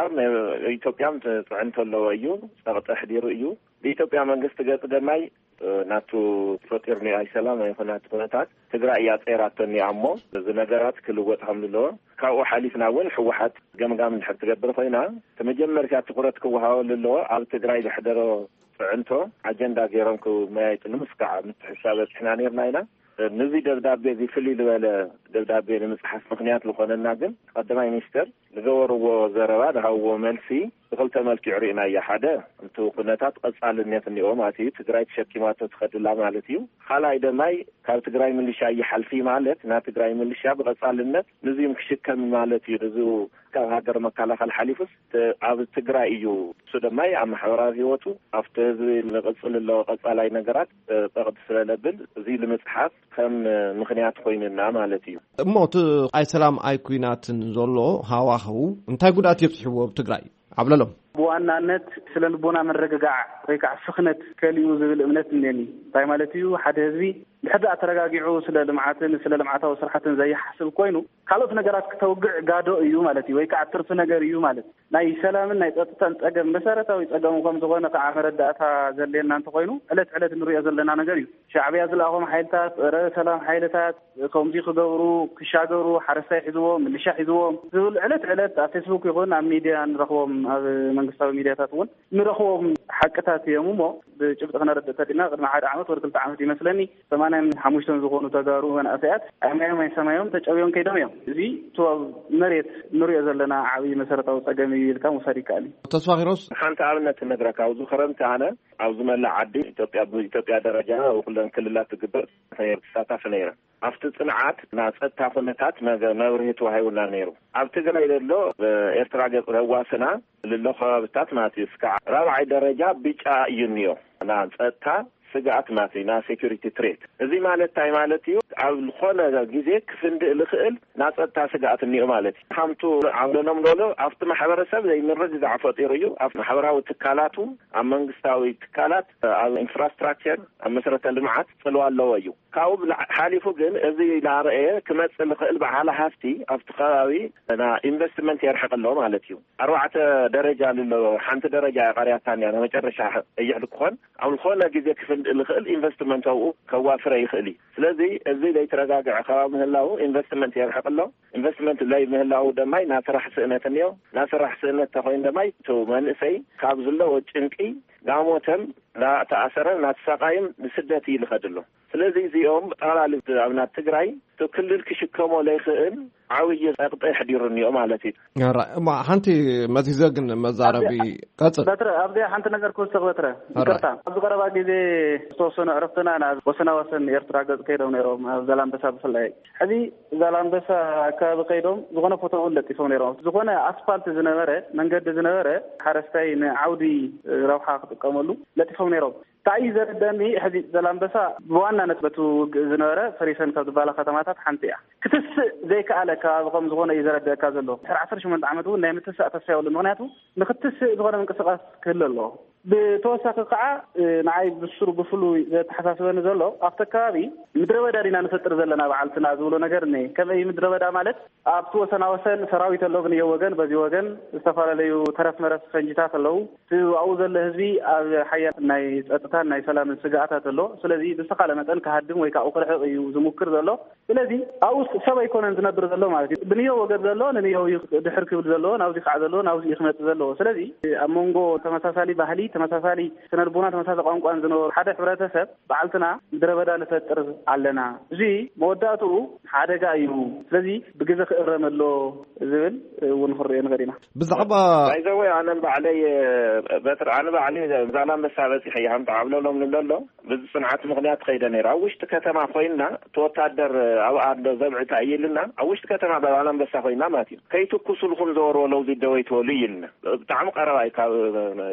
ኢትዮጵያ ጽዕንቶ ኣለዎ እዩ፣ ጸቕጢ ኣሕዲሩ እዩ። ብኢትዮጵያ መንግስቲ ገጽ ደማይ፣ ናቱ ፈጢሩ ናይ ኣይሰላም ኣይኹናት ኩነታት ትግራይ እያ ጸይራቶ እኒኣ እሞ፣ እዚ ነገራት ክልወጥ ከም ዘለዎ፣ ካብኡ ሓሊፍና እውን ህወሓት ገምጋም እንድሕር ትገብር ኮይና፣ እቲ መጀመርታ ትኹረት ክወሃበሉ ኣለዎ ኣብ ትግራይ ዘሕደሮ ጽዕንቶ ኣጀንዳ ገይሮም ክመያየጥሉ ምስካዕ ምትሕሳብ በጺሕና ነይርና ኢና። ንዚ ደብዳቤ እዚ ፍልይ ዝበለ ደብዳቤ ንምጽሓፍ ምኽንያት ዝኾነና ግን ቀዳማይ ሚኒስተር ዝገበርዎ ዘረባ፣ ዝሃብዎ መልሲ ብኽልተ መልክዑ ርኢናዮ። ሓደ፣ እቲ ኩነታት ቀጻልነት እኒኦ ማለት እዩ፣ ትግራይ ተሸኪማቶ ትኸድላ ማለት እዩ። ካልኣይ ደማይ ካብ ትግራይ ሚሊሻ ይሓልፊ ማለት ና ትግራይ ሚሊሻ ብቐጻልነት ንዚም ክሽከም ማለት እዩ። ንዚ ካብ ሃገር መከላኸል ሓሊፉስ ተ-፣ ኣብ ትግራይ እዩ። እሱ ደማይ ኣብ ማሕበራዊ ህይወቱ ኣብቲ ህዝቢ ንቕጽል ኣለዎ ቀጻላይ ነገራት፣ እ፣ ጸቕጢ ስለለብል እዚ ንምጽሓፍ ከም ምኽንያት ኮይንና ማለት እዩ። እሞ እቲ ኣይ ሰላም ኣይ ኩናትን ዘሎ ሃዋህው እንታይ ጉድኣት የብፅሕዎ ኣብ ትግራይ? ዓብለሎም። ብዋናነት ስለ ልቦና መረግጋዕ ወይ ከዓ ስኽነት ከሊኡ ዝብል እምነት እኒአኒ። እንታይ ማለት እዩ? ሓደ ህዝቢ ሕዚ ኣተረጋጊዑ ስለ ልምዓትን ስለ ልምዓታዊ ስራሕትን ዘይሓስብ ኮይኑ፣ ካልኦት ነገራት ክተውግዕ ጋዶ እዩ ማለት እዩ፣ ወይ ከዓ ትርፊ ነገር እዩ ማለት። ናይ ሰላምን ናይ ጸጥታን ጸገም፣ መሰረታዊ ጸገም ከም ዝኾነ ከዓ መረዳእታ ዘድልየና እንተኾይኑ፣ ዕለት ዕለት ንሪኦ ዘለና ነገር እዩ። ሻዕብያ ዝለኣኾም ሓይልታት፣ ጸረ ሰላም ሓይልታት ከምዚ ክገብሩ፣ ክሻገሩ፣ ሓረስታይ ሒዝዎም፣ ምልሻ ሒዝዎም ዝብል ዕለት ዕለት ኣብ ፌስቡክ ይኹን ኣብ ሚድያ ንረኽቦም፣ ኣብ መንግስታዊ ሚድያታት እውን ንረኽቦም ሓቅታት እዮም። እሞ ብጭብጢ ክነረድእ ተዲና፣ ቅድሚ ሓደ ዓመት ወር ክልተ ዓመት ይመስለኒ፣ ሰማንያን ሓሙሽተን ዝኾኑ ተጋሩ መናእሰያት ኣይ ማዮም ኣይ ሰማዮም ተጨብዮም ከይዶም እዮም። እዚ እቲ ኣብ መሬት ንሪኦ ዘለና ዓብዪ መሰረታዊ ጸገም እዩ ኢልካ ምውሳድ ይከኣል እዩ። ተስፋ ኪሮስ። ሓንቲ ኣብነት እነግረካ። ኣብዚ ክረምቲ ኣነ ኣብዚ መላእ ዓዲ ኢትዮጵያ፣ ብኢትዮጵያ ደረጃ ኣብ ኩለን ክልላት ዝግበር ተሳታፊ ነይረ። ኣብቲ ጽንዓት ናይ ጸጥታ ኩነታት መገ-፣ መብርሂ ተዋሂቡና ነይሩ። ኣብ ትግራይ ዘሎ ብኤርትራ ገጽ ዘዋስና ልሎ ከባብታት ማለት እዩ፣ እስካዕ ራብዓይ ደረጃ ቢጫ እዩ እኒኦ። ና ጸጥታ ስግኣት ማለት እዩ፣ ና ሴኩሪቲ ትሬት። እዚ ማለት እንታይ ማለት እዩ? ኣብ ዝኾነ ግዜ ክፍንድእ ዝኽእል ና ጸጥታ ስግኣት እኒኦ ማለት እዩ። ሃምቱ ዓብለሎም ዶሎ ኣብቲ ማሕበረሰብ ዘይምርግጋዕ ፈጢሩ እዩ። ኣብ ማሕበራዊ ትካላቱ፣ ኣብ መንግስታዊ ትካላት፣ ኣብ ኢንፍራስትራክቸር፣ ኣብ መሰረተ ልምዓት ጽልዋ ኣለዎ እዩ። ካብኡ ብላ-፣ ሓሊፉ ግን እዚ እናረኣየ ክመጽእ ዝኽእል በዓል ሃፍቲ ኣብቲ ከባቢ ና ኢንቨስትመንት የርሕቕ ኣሎ ማለት እዩ። ኣርባዕተ ደረጃ ኣሎ። ሓንቲ ደረጃ እያ ቀርያታ እኒኣ፣ ናይ መጨረሻ ቀይሕ ልክኾን ኣብ ዝኾነ ግዜ ክፍንድእ ዝኽእል ኢንቨስትመንት ኣብኡ ከዋፍረ ይኽእል እዩ። ስለዚ እዚ ዘይተረጋግዐ ከባቢ ምህላው ኢንቨስትመንት የርሕቕ ኣሎ። ኢንቨስትመንት ዘይምህላው ደማይ ናይ ስራሕ ስእነት እኒኦ። ናይ ስራሕ ስእነት ተኾይኑ ደማይ እቲ መንእሰይ ካብ ዘለዎ ጭንቂ ናሞተን ናተኣሰረ ናተሳቃይም ንስደት እዩ ዝኸድ ኣሎ። ስለዚ እዚኦም ጠቕላሊ ኣብ ናይ ትግራይ እቲ ክልል ክሽከሞ ዘይኽእል ዓብዪ ጸቕጢ ኣሕዲሩ እኒኦ ማለት እዩ። ራ-፣ እማ ሓንቲ መዚዘ ግን መዛረቢ ኣብዚ ቀጽል። በትረ፣ ኣብዚ ሓንቲ ነገር ክውስኽ በትረ። ራ-፣ ይቅርታ። ኣብዚ ቀረባ ግዜ ዝተወሰኑ ዕርፍትና ናብ ወሰና ወሰን ኤርትራ ገጽ ከይዶም ነይሮም፣ ኣብ ዛላምበሳ ብፍላይ። ሕዚ ዛላምበሳ ኣካባቢ ከይዶም ዝኾነ ፎቶ እውን ለጢፎም ነይሮም። ዝኾነ ኣስፋልት ዝነበረ፣ መንገዲ ዝነበረ፣ ሓረስታይ ንዓውዲ ረብሓ ክጥቀመሉ ለጢፎም ነይሮም። እንታይ እዩ ዘረደኒ፣ ሕዚ ዘላምበሳ ብዋናነት በቲ ውግእ ዝነበረ ፈሪሰን ካብ ዝበሃላ ከተማታት ሓንቲ እያ። ክትስእ ዘይከኣለ ከባቢ ከም ዝኾነ እዩ ዘረደእካ ዘሎ። ድሕሪ ዓሰርተ ሸሞንተ ዓመት እውን ናይ ምትሳእ ተስፋ የብሉን። ምኽንያቱ ንክትስእ ዝኾነ ምንቅስቃስ ክህሉ ኣለዎ። ብተወሳኺ ከዓ፣ እ፣ ንዓይ ብስሩ ብፍሉይ ዘተሓሳስበኒ ዘሎ ኣብቲ ከባቢ ምድረ በዳ ዲና ንፈጥር ዘለና በዓልትና ዝብሎ ነገር እኒ። ከመይ ምድረ በዳ ማለት ኣብቲ ወሰና ወሰን ሰራዊት ኣሎ፣ ብንዮ ወገን፣ በዚ ወገን ዝተፈላለዩ ተረፍ መረፍ ፈንጂታት ኣለዉ። እቲ ኣብኡ ዘሎ ህዝቢ ኣብ ሓያል ናይ ጸጥታን ናይ ሰላምን ስግኣታት ኣሎ። ስለዚ ብዝተኻለ መጠን ክሃድም ወይ ካብኡ ክርሕቕ እዩ ዝሙክር ዘሎ። ስለዚ ኣብኡ ሰብ ኣይኮነን ዝነብር ዘሎ ማለት እዩ። ብንዮ ወገን ዘሎ ንንዮ እዩ ድሕር ክብል ዘለዎ፣ ናብዚ ከዓ ዘለዎ ናብዚ እዩ ክመጽእ ዘለዎ። ስለዚ ኣብ መንጎ ተመሳሳሊ ባህሊ፣ ተመሳሳሊ ስነልቦና፣ ተመሳሳሊ ቋንቋን ዝነበሩ ሓደ ሕብረተሰብ በዓልትና ምድረ በዳ ንፈጥር ኣለና። እዚ መወዳእትኡ ሓደጋ እዩ። ስለዚ ብግዜ ክእረም ኣሎ ዝብል እውን ክንሪኦ ንኽእል ኢና። ብዛዕባ ባይዘወይ ኣነ ባዕለይ በትሪ ኣነ ባዕለይ ዛላምበሳ በፂሐ እየ። ሃምታ ዓብለሎም ንብለሎ ብዚ ፅንዓት ምኽንያት ከይደ ነይረ። ኣብ ውሽጢ ከተማ ኮይንና እቲ ወታደር ኣብኣ ኣሎ ዘብዕታ እዩ ኢልና ኣብ ውሽጢ ከተማ ዛላምበሳ ኮይንና ማለት እዩ። ከይትኩሱልኩም ዘወርወለው ዚደወይ ትበሉ እዩ ኢልና። ብጣዕሚ ቀረባ እዩ ካብ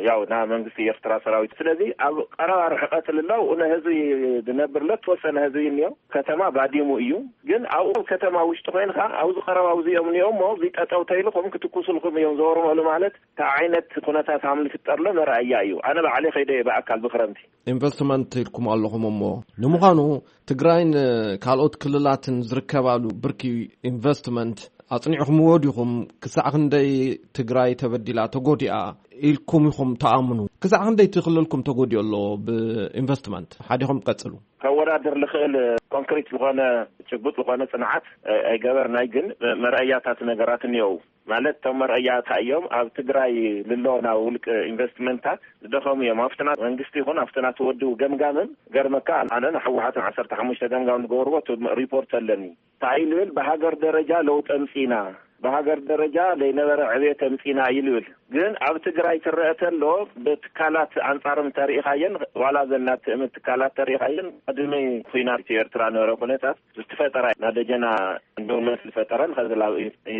ያው ናይ መንግስቲ ኤርትራ ሰራዊት። ስለዚ ኣብ ቀረባ ርሕቀት ልለው ንህዝቢ ዝነብር ለተወሰነ ህዝቢ እኒኦ። ከተማ ባዲሙ እዩ። ግን ኣብኡ ከተማ ውሽጢ ኮይንካ ኣብዚ ቀረባ ኣብዚኦም እኒኦ እሞ እዚ ጠጠው ተይልኩም ክትኩሱልኩም እዮም ዘወርመሉ ማለት እንታይ ዓይነት ኩነታት ሃም ዝፍጠርሎ መረኣያ እዩ። ኣነ ባዕለይ ከይደ እየ ብኣካል ብክረምቲ። ኢንቨስትመንት ኢልኩም ኣለኹም እሞ ንምዃኑ ትግራይን ካልኦት ክልላትን ዝርከባሉ ብርኪ ኢንቨስትመንት ኣጽኒዕኹምዎ ዲኹም? ክሳዕ ክንደይ ትግራይ ተበዲላ ተጎዲኣ ኢልኩም ኢኹም ተኣምኑ? ክሳዕ ክንደይ እቲ ክልልኩም ተጎዲኡ ኣሎ ብኢንቨስትመንት? ሓዲኹም ቀጽሉ። ከወዳድር ልኽእል ኮንክሪት ዝኾነ ጭቡጥ ዝኾነ ጽንዓት ኣይገበርናይ፣ ግን መርኣያታት ነገራት እኒኦው። ማለት እቶም መርኣያታ እዮም ኣብ ትግራይ ልሎ ናብ ውልቅ ኢንቨስትመንታት ዝደኸሙ እዮም። ኣብትና መንግስቲ ይኹን ኣብትና ተወድቡ ገምጋምን ገርመካ ኣነ ንሕወሓትን ዓሰርተ ሓሙሽተ ገምጋም ዝገበርዎ ሪፖርት ኣለኒ። እንታይ እዩ ልብል ብሃገር ደረጃ ለውጥ ኣምጺና፣ ብሃገር ደረጃ ለይነበረ ዕቤት ኣምጺና እዩ ልብል። ግን ኣብ ትግራይ ትረአ ተሎ ብትካላት ኣንጻርም ተሪኢኻየን ዋላ ዘናትእም ትካላት ተሪኢኻየን ቅድሚ ኩናት ኤርትራ ነበረ ኩነታት ዝተፈጠራ ናደጀና ኢንቨስትመንት ዝፈጠረን ከዚ ላብ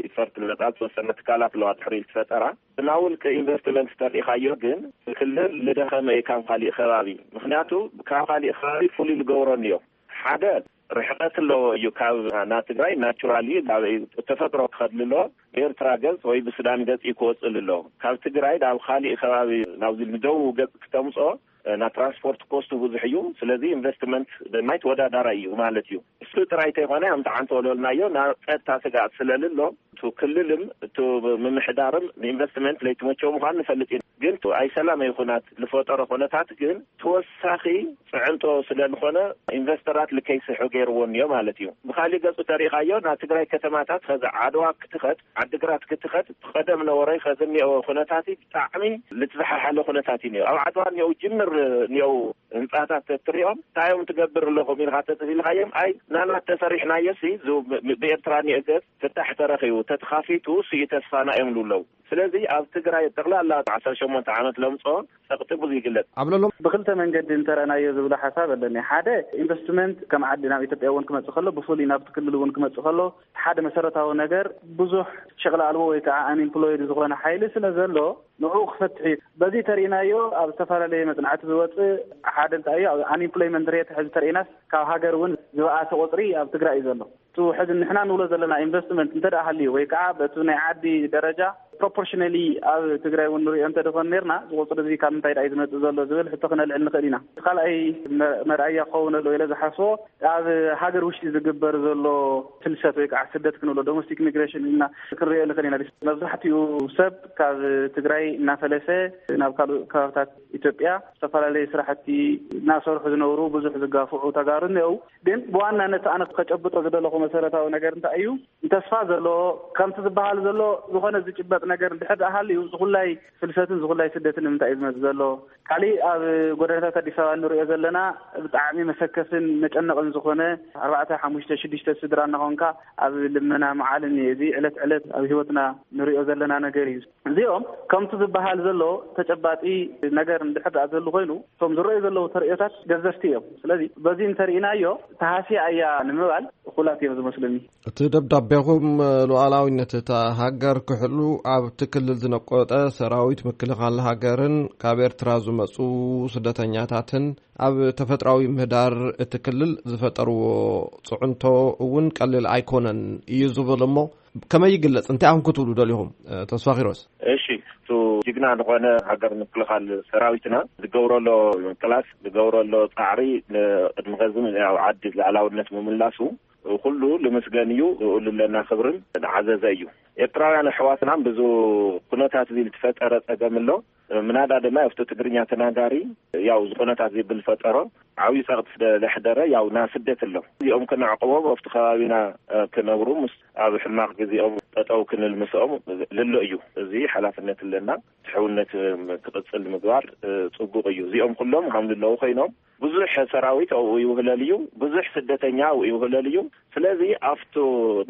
ኢፈርት ዝመጻ ዝተወሰነ ትካላት ኣለዋ ድሕሪ ዝተፈጠራ። ብናውል ከኢንቨስትመንት ተሪኢኻዮ ግን ክልል ልደኸመ እዩ ካብ ካሊእ ከባቢ። ምክንያቱ ካብ ካሊእ ከባቢ ፍሉይ ልገብሮ እንዮ ሓደ ርሕቀት ኣለዎ እዩ ካብ ና ትግራይ ናቹራሊ ናብ ተፈጥሮ ክኸድሉ ኣለዎ። ብኤርትራ ገጽ ወይ ብሱዳን ገጽ እዩ ክወጽእ ኣለዎ። ካብ ትግራይ ናብ ካሊእ ከባቢ ናብዚ ንደቡብ ገጽ ክተምጾ ና ትራንስፖርት ኮስቱ ብዙሕ እዩ። ስለዚ ኢንቨስትመንት ማይ ተወዳዳራይ እዩ ማለት እዩ። እሱ ጥራይ ተይኮነ፣ ከምቲ ዓንተ ወለልናዮ፣ ናብ ጸጥታ ስጋኣት ስለልሎ፣ እቱ ክልልም እቱ ምምሕዳርም ንኢንቨስትመንት ለይትመቸው ምዃኑ ንፈልጥ ኢና። ግን ኣይ ሰላም ይኹናት ልፈጠሮ ኩነታት ግን ተወሳኺ ጽዕንቶ ስለልኾነ፣ ኢንቨስተራት ልከይስሑ ገይርዎ እኒኦ ማለት እዩ። ብኻሊእ ገጹ ተሪእኻዮ፣ ናብ ትግራይ ከተማታት ኸዚ ዓድዋ ክትኸድ፣ ዓድግራት ክትኸድ፣ ቀደም ነበረ ኸዚ እኒኦ ኩነታት ብጣዕሚ ልትዝሓሓለ ኩነታት እዩ እኒኦ። ኣብ ዓድዋ እኒኦ ጅምር እኒኦ ህንጻታት ተትሪኦም፣ እንታይ እዮም ትገብር ኣለኹም ኢልካ ተተሲልካዮም፣ ኣይ ናና ተሰሪሕናዮ ሲ፣ ዝ-፣ ብ-፣ ብኤርትራ እኒኦ ገጽ ፍታሕ ተረኺቡ፣ ተተኻፊቱ ሲ ተስፋና እዮም ዝብለው። ስለዚ ኣብ ትግራይ ጠቕላላ ዓሰርተ ሸሞንተ ዓመት ለምጾ ጸቕጢ ብዙ ይግለጽ። ኣብ ለሎም ብክልተ መንገዲ እንተረእናዮ ዝብሎ ሓሳብ ኣለኒ። ሓደ ኢንቨስትመንት ከም ዓዲ ናብ ኢትዮጵያ እውን ክመጽእ ከሎ፣ ብፍሉይ ናብቲ ክልል እውን ክመጽእ ከሎ፣ ሓደ መሰረታዊ ነገር ብዙሕ ሸቕሊ ኣልቦ ወይ ከዓ ኣንኤምፕሎይድ ዝኾነ ሓይሊ ስለ ዘሎ ንዕኡ ክፈትሕ እዩ። በዚ ተሪእናዮ ኣብ ዝተፈላለየ መጽናዕቲ ዝወጽእ ሓደ እንታይ እዩ፣ ኣብ ኣንኤምፕሎይመንት ሬት ሕዚ ተሪእናስ ካብ ሃገር እውን ዝበኣሰ ቁጽሪ ኣብ ትግራይ እዩ ዘሎ። እቲ ሕዚ ንሕና ንብሎ ዘለና ኢንቨስትመንት እንተ ደኣ ሃልዩ ወይ ከዓ በቲ ናይ ዓዲ ደረጃ ፕሮፖርሽነሊ ኣብ ትግራይ እውን ንሪኦ እንተ ደኾን ነርና፣ እዚ ቁፅሪ እዚ ካብ ምንታይ ደኣ እዩ ዝመፅእ ዘሎ ዝብል ሕቶ ክነልዕል ንኽእል ኢና። እቲ ካልኣይ መ-፣ መርኣያ ክኸውን ኣለዎ ኢለ ዝሓስቦ ኣብ ሃገር ውሽጢ ዝግበር ዘሎ ፍልሰት ወይ ከዓ ስደት ክንብሎ ዶሜስቲክ ሚግሬሽን ኢልና ክንሪኦ ንኽእል ኢና። መብዛሕትኡ ሰብ ካብ ትግራይ እናፈለሰ ናብ ካልእ ከባብታት ኢትዮጵያ ዝተፈላለዩ ስራሕቲ እናሰርሑ ዝነብሩ ብዙሕ ዝጋፍዑ ተጋሩ እኒአው። ግን ብዋናነት ኣነ ከጨብጦ ዝደለኹ መሰረታዊ ነገር እንታይ እዩ? ተስፋ ዘሎ፣ ከምቲ ዝበሃል ዘሎ ዝኾነ ዝጭበጥ ነገር እንድሕር ደኣ ሃልዩ፣ ዝኹላይ ፍልሰትን ዝኹላይ ስደትን ንምንታይ እዩ ዝመጽእ ዘሎ? ካሊእ ኣብ ጎደናታት ኣዲስ ኣበባ እንሪኦ ዘለና ብጣዕሚ መሰከፍን መጨነቕን ዝኾነ ኣርባዕተ፣ ሓሙሽተ፣ ሽዱሽተ ስድራ እናኾንካ ኣብ ልመና መዓልን እዩ። እዚ ዕለት ዕለት ኣብ ህይወትና ንሪኦ ዘለና ነገር እዩ። እዚኦም ከምቲ ዝበሃል ዘሎ ተጨባጢ ነገር እንድሕር ደኣ ዘሉ ኮይኑ፣ እቶም ዝረኣዩ ዘለዉ ተርእዮታት ገዘፍቲ እዮም። ስለዚ በዚ እንተርኢናዮ ተሃስያ እያ ንምባል እኹላት እዮም ዝመስሉኒ። እቲ ደብዳቤኹም ሉዓላዊነት እታ ሃገር ክሕሉ ኣብቲ ክልል ዝነቆጠ ሰራዊት ምክልኻል ሃገርን ካብ ኤርትራ ዝመጹ ስደተኛታትን ኣብ ተፈጥራዊ ምህዳር እቲ ክልል ዝፈጠርዎ ጽዕንቶ እውን ቀሊል ኣይኮነን እዩ ዝብል እሞ ከመይ ይግለጽ? እንታይ ኢኹም ክትብሉ ደሊኹም? ተስፋ ኪሮስ። እሺ፣ እቱ ጅግና ዝኾነ ሃገር ምክልኻል ሰራዊትና ዝገብሮ ኣሎ ምቅላስ፣ ዝገብሮ ኣሎ ጻዕሪ፣ ንቅድሚ ኸዚ ያው ዓዲ ሉዓላውነት ምምላሱ ኩሉ ልምስገን እዩ። ንኡ ለና ክብርን ንዓዘዘ እዩ። ኤርትራውያን ኣሕዋትና ብዙ ኩነታት እዚ ዝተፈጠረ ጸገም ኣሎ። ምናዳ ድማ ኣብቲ ትግርኛ ተናጋሪ ያው ዝኾነታት እዚ ብልፈጠሮ ዓብዩ ጸቕጢ ስለ ለሕደረ ያው ና ስደት ኣሎ። እዚኦም ክነዕቅቦም ኣብቲ ከባቢና፣ እ፣ ክነብሩ ምስ ኣብ ሕማቕ ግዜኦም ጠጠው ክንል ምስኦም ልሎ እዩ። እዚ ሓላፍነት ኣለና። ትሕውነት፣ እ፣ ክቕጽል ምግባር፣ እ፣ ጽቡቕ እዩ። እዚኦም ኩሎም ከም ልለዉ ኮይኖም ብዙሕ ሰራዊት ኣብኡ ይውህለል እዩ። ብዙሕ ስደተኛ ኣብኡ ይውህለል እዩ። ስለዚ ኣብቱ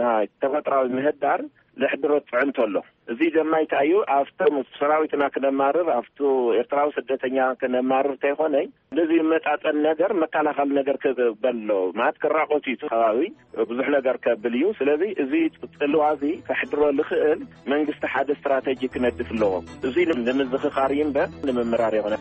ናይ ተፈጥራዊ ምህዳር ዘሕድሮ ጽዕንቶ ኣሎ። እዚ ድማ እንታይ እዩ? ኣብቶም ሰራዊትና ክነማርር፣ ኣብቱ ኤርትራዊ ስደተኛ ክነማርር እንተይኮነ፣ እንደዚ ይመጣጠን ነገር መከላኸል ነገር ክበሎ ማለት ክራቆት እዩ እቲ ከባቢ ብዙሕ ነገር ከብል እዩ። ስለዚ እዚ ጽልዋ እዚ ከሕድሮ ዝኽእል መንግስቲ ሓደ ስትራተጂ ክነድፍ ኣለዎ። እዚ ንምዝኽኻር እዩ እምበር ንምምራር የኾነ።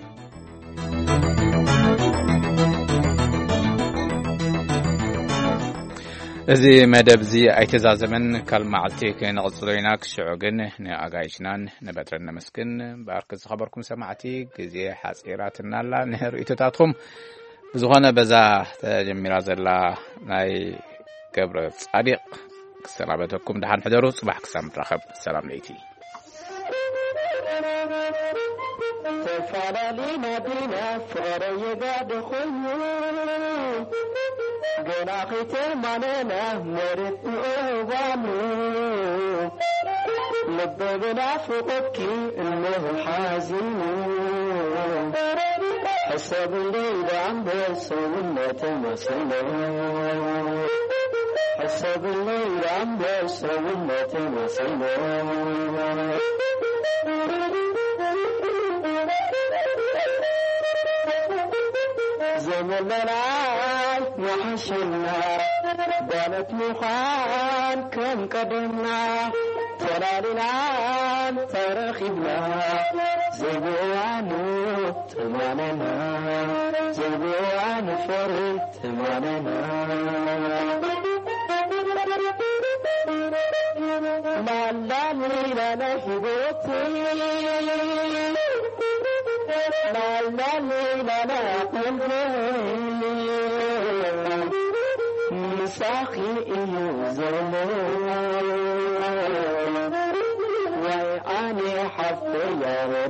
እዚ መደብ እዚ ኣይተዛዘመን፣ ካልእ መዓልቲ ክንቕጽሎ ኢና። ክሽዑ ግን ንኣጋይሽናን ንበትረን ነመስግን። እምበኣር ክዝኸበርኩም ሰማዕቲ፣ ግዜ ሓጺራትና ኣላ ንርእይቶታትኩም። ብዝኾነ በዛ ተጀሚራ ዘላ ናይ ገብረ ጻዲቕ ክሰናበተኩም፣ ደሓን ሕደሩ። ጽባሕ ክሳብ ንራኸብ፣ ሰላም ለይቲ። ተፈላለና ዲና ፍቕረ የጋደ ኮይኑ፣ ገና ከይተማነና መሬት ንእዋኑ፣ ልበ ብናፍቖትኪ እነሆ ሓዚኑ። ሕሰብለይ ደኣ እምበር ሰውነተይ መሲሉ፣ ሕሰብለይ ደኣ እምበር ሰውነተይ መሲሉ። ዘመለናይ ምሓሸና፣ ጓለት ምዃን ከም ቀደምና፣ ተላሊና ተረኺብና፣ ዘይብእዋኑ ትማለና፣ ዘይብእዋኑ ፈሪ ትማለና። ላላሊ ላላ ሂቦቲ፣ ላላሊ ላላ ሳኺ እዩ ዘሎ። ወይ ኣነ ሓፍተይ ያረ